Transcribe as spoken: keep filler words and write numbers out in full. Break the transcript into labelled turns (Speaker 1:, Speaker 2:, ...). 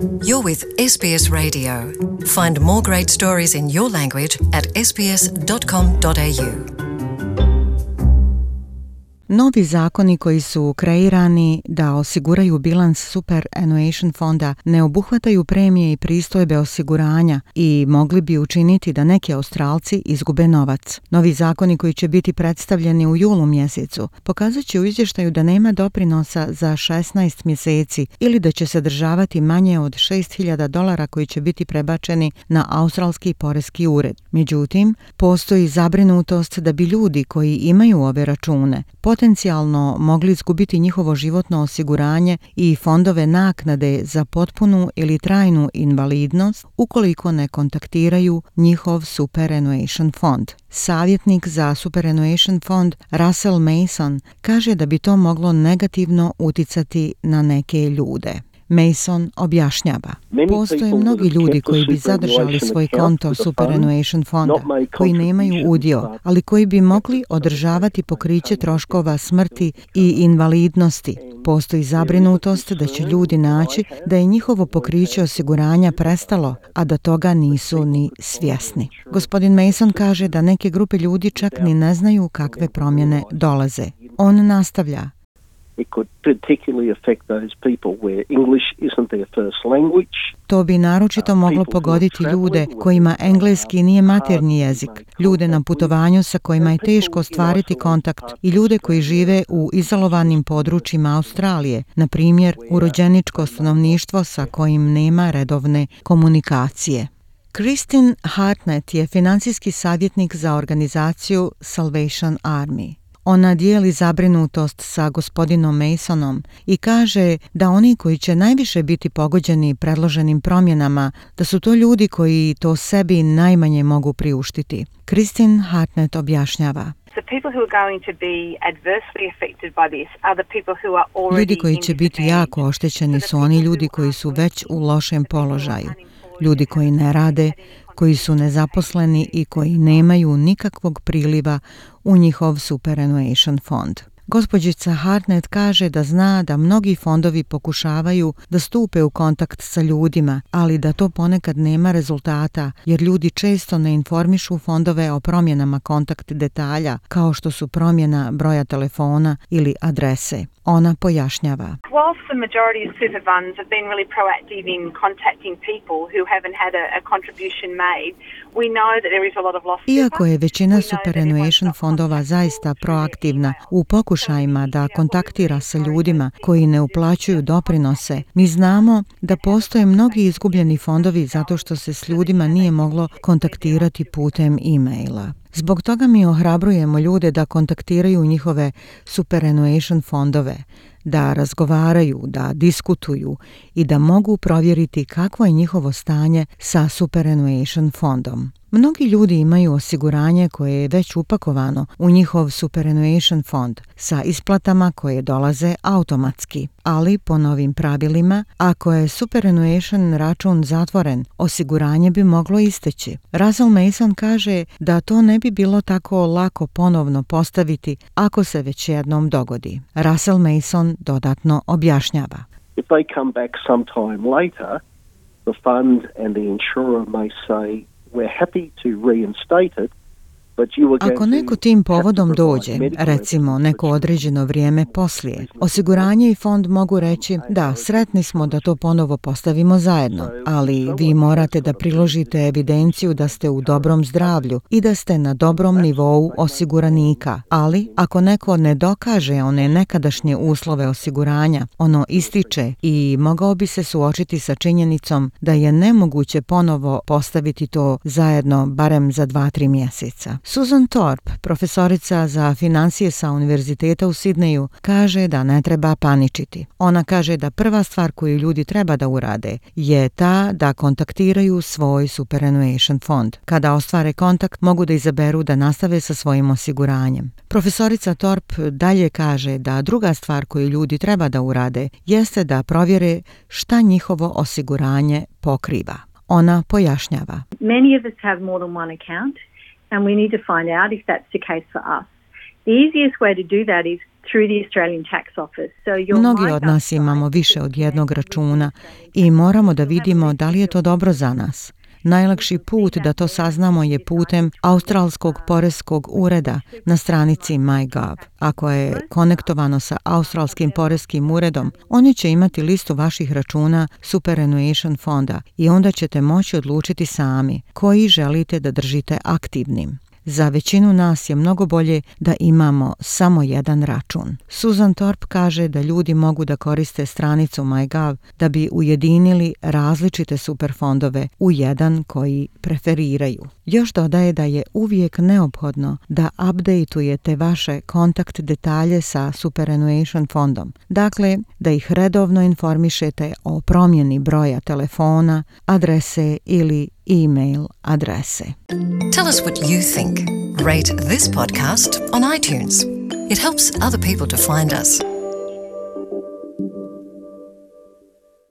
Speaker 1: You're with S B S Radio. Find more great stories in your language at s b s dot com dot a u.
Speaker 2: Novi zakoni koji su kreirani da osiguraju bilans superannuation fonda ne obuhvataju premije i pristojbe osiguranja i mogli bi učiniti da neki Australci izgube novac. Novi zakoni koji će biti predstavljeni u julu mjesecu pokazat će u izvještaju da nema doprinosa za šesnaest mjeseci ili da će sadržavati manje od šest hiljada dolara koji će biti prebačeni na australski poreski ured. Međutim, postoji zabrinutost da bi ljudi koji imaju ove račune potencijalno mogli izgubiti njihovo životno osiguranje i fondove naknade za potpunu ili trajnu invalidnost ukoliko ne kontaktiraju njihov superannuation fond. Savjetnik za superannuation fond Russell Mason kaže da bi to moglo negativno uticati na neke ljude. Mason objašnjava. Postoje mnogi ljudi koji bi zadržali svoj konto superannuation fonda, koji nemaju udio, ali koji bi mogli održavati pokriće troškova smrti i invalidnosti. Postoji zabrinutost da će ljudi naći da je njihovo pokriće osiguranja prestalo, a da toga nisu ni svjesni. Gospodin Mason kaže da neke grupe ljudi čak ni ne znaju kakve promjene dolaze. On nastavlja.
Speaker 3: It could particularly affect those people where English isn't their first language.
Speaker 2: To bi naročito moglo pogoditi ljude kojima engleski nije maternji jezik, ljude na putovanju sa kojima je teško ostvariti kontakt i ljude koji žive u izolovanim područjima Australije, na primjer urođeničko stanovništvo sa kojim nema redovne komunikacije. Christine Hartnett je financijski savjetnik za organizaciju Salvation Army. Ona dijeli zabrinutost sa gospodinom Masonom i kaže da oni koji će najviše biti pogođeni predloženim promjenama, da su to ljudi koji to sebi najmanje mogu priuštiti. Christine Hartnett objašnjava. Ljudi koji će biti jako oštećeni su oni ljudi koji su već u lošem položaju. Ljudi koji ne rade, koji su nezaposleni i koji nemaju nikakvog priliva u njihov superannuation fond. Gospođica Hartnett kaže da zna da mnogi fondovi pokušavaju da stupe u kontakt sa ljudima, ali da to ponekad nema rezultata, jer ljudi često ne informišu fondove o promjenama kontakt detalja, kao što su promjena broja telefona ili adrese. Ona pojašnjava.
Speaker 4: Whilst the majority of super funds have been really proactive in contacting people who haven't had a, a contribution made, we know that there is a lot of lost.
Speaker 2: Iako je većina superannuation fondova zaista proaktivna u pokušajima da kontaktira sa ljudima koji ne uplaćuju doprinose, mi znamo da postoje mnogi izgubljeni fondovi zato što se s ljudima nije moglo kontaktirati putem e-maila. Zbog toga mi ohrabrujemo ljude da kontaktiraju njihove superannuation fondove, da razgovaraju, da diskutuju i da mogu provjeriti kakvo je njihovo stanje sa superannuation fondom. Mnogi ljudi imaju osiguranje koje je već upakovano u njihov superannuation fond sa isplatama koje dolaze automatski, ali po novim pravilima, ako je superannuation račun zatvoren, osiguranje bi moglo isteći. Russell Mason kaže da to ne bi bilo tako lako ponovno postaviti ako se već jednom dogodi. Russell Mason dodatno objašnjava.
Speaker 3: If they come back sometime later, the fund and the insurer may say we're happy to reinstate it.
Speaker 2: Ako neko tim povodom dođe, recimo neko određeno vrijeme poslije, osiguranje i fond mogu reći da, sretni smo da to ponovo postavimo zajedno, ali vi morate da priložite evidenciju da ste u dobrom zdravlju i da ste na dobrom nivou osiguranika. Ali ako neko ne dokaže one nekadašnje uslove osiguranja, ono ističe i mogao bi se suočiti sa činjenicom da je nemoguće ponovo postaviti to zajedno barem za dva tri mjeseca. Susan Thorpe, profesorica za financije sa Univerziteta u Sidneju, kaže da ne treba paničiti. Ona kaže da prva stvar koju ljudi treba da urade je ta da kontaktiraju svoj superannuation fond. Kada ostvare kontakt, mogu da izaberu da nastave sa svojim osiguranjem. Profesorica Thorpe dalje kaže da druga stvar koju ljudi treba da urade jeste da provjere šta njihovo osiguranje pokriva. Ona pojašnjava.
Speaker 5: Many of us have more than one account. And we need to find out if that's the case for us. The easiest way to do that is through the Australian Tax Office. So your
Speaker 2: Mnogi od
Speaker 5: MyGov
Speaker 2: nas imamo
Speaker 5: site
Speaker 2: više od jednog računa i moramo da vidimo da li je to dobro za nas. Najlakši put da to saznamo je putem Australskog poreskog ureda na stranici MyGov. Ako je konektovano sa Australskim poreskim uredom, oni će imati listu vaših računa Superannuation fonda i onda ćete moći odlučiti sami koji želite da držite aktivnim. Za većinu nas je mnogo bolje da imamo samo jedan račun. Susan Thorpe kaže da ljudi mogu da koriste stranicu MyGov da bi ujedinili različite superfondove u jedan koji preferiraju. Još dodaje da je uvijek neophodno da updateujete vaše kontakt detalje sa Superannuation fondom. Dakle, da ih redovno informišete o promjeni broja telefona, adrese ili e-mail adrese.
Speaker 1: Tell us what you think. Rate this podcast on iTunes. It helps other people to find us.